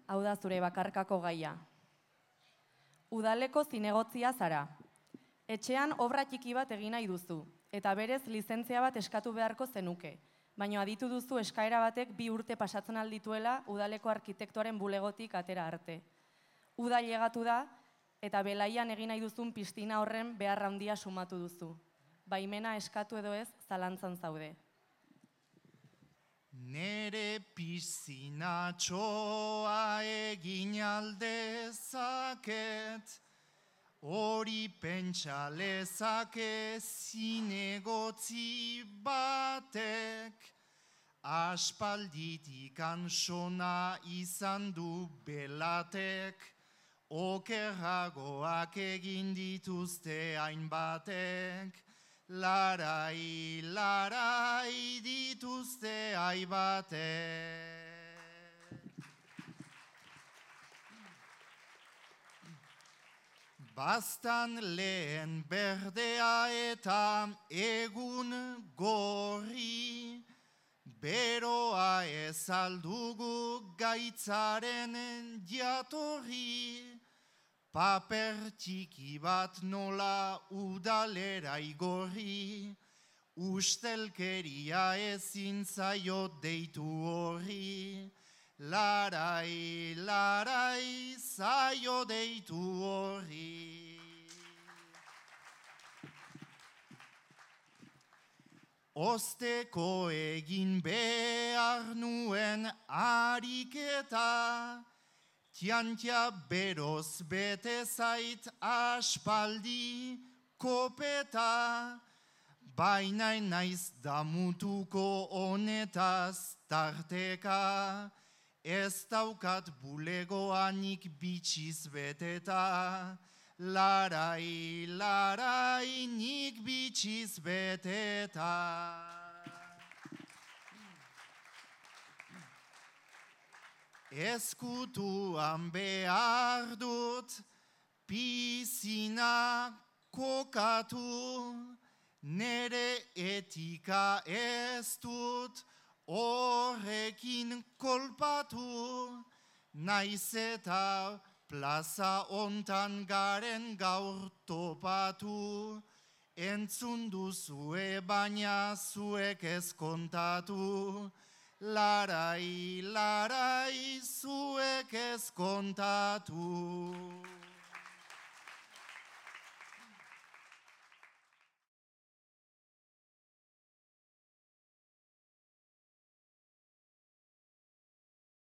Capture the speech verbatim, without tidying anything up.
Hau da zure bakarkako gaia. Udaleko zinegotzia zara. Etxean obra txiki bat egin nahi duzu, eta berez lizentzia bat eskatu beharko zenuke, baina aditu duzu eskaera batek bi urte pasatzen aldituela udaleko arkitektoaren bulegotik atera arte. Uda llegatu da, eta belaian egin nahi duzun piztina horren behar handia sumatu duzu. Baimena eskatu edo ez, zalantzan zaude. Nere piszinatxoa egin aldezaket, hori pentsa lezake zinegotzi batek, aspalditik ansona izan du belatek, okerragoak egin dituzte hainbatek, larai, larai dituzte aibatek. Bastan lehen berdea eta egun gorri, beroa ez aldugu gaitzaren jatorri, paper txiki bat nola udalera igorri, ustelkeria ezin zaio deitu horri, larai, larai zaio deitu horri. Osteko egin behar nuen ariketa, tiantia beroz bete zait aspaldi kopeta, baina naiz damutuko honetaz tarteka, ez daukat bulegoanik bitxiz beteta, larai, larai nik bitxiz beteta. Ezkutuan behar dut, pizina kokatu, nere etika ez dut, horrekin kolpatu, naiz eta plaza ontan garen gaur topatu, entzun duzue baina zuek ez kontatu, larai, larai zuek ez kontatu.